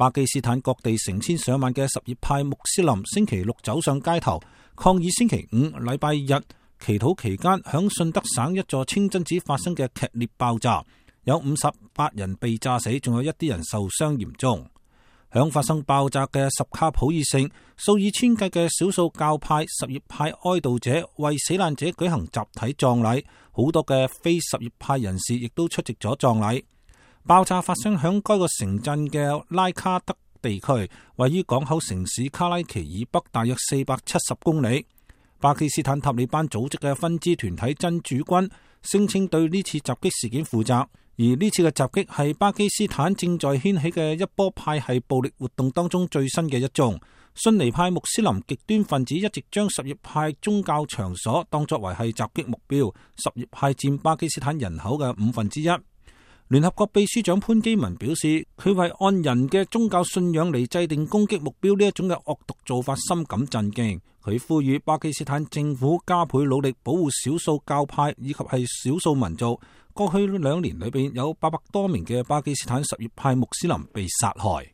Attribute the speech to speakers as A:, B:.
A: 巴基斯坦各地成千上萬嘅什葉派穆斯林星期六走上街頭，抗議星期五禮拜日祈禱期間響順德省一座清真寺發生嘅劇烈爆炸，有58人被炸死，仲有一啲人受傷嚴重。響發生爆炸嘅什卡普爾省，數以千計嘅少數教派什葉派哀悼者為死難者舉行集體葬禮，好多嘅非什葉派人士亦都出席咗葬禮。爆炸發生響該個城鎮嘅拉卡德地區，位於港口城市卡拉奇以北大約470公里。巴基斯坦塔利班組織嘅分支團體真主軍聲稱對呢次襲擊事件負責，而呢次嘅襲擊係巴基斯坦正在掀起嘅一波派系暴力活動當中最新嘅一宗。遜尼派穆斯林極端分子一直將什葉派宗教場所當作為係襲擊目標，什葉派佔巴基斯坦人口嘅1/5。聯合國秘書長潘基文表示，佢為按人嘅宗教信仰嚟制定攻擊目標呢一種嘅惡毒做法深感震驚。佢呼籲巴基斯坦政府加倍努力保護少數教派以及係少數民族。過去2年裏邊有800多名嘅巴基斯坦什葉派穆斯林被殺害。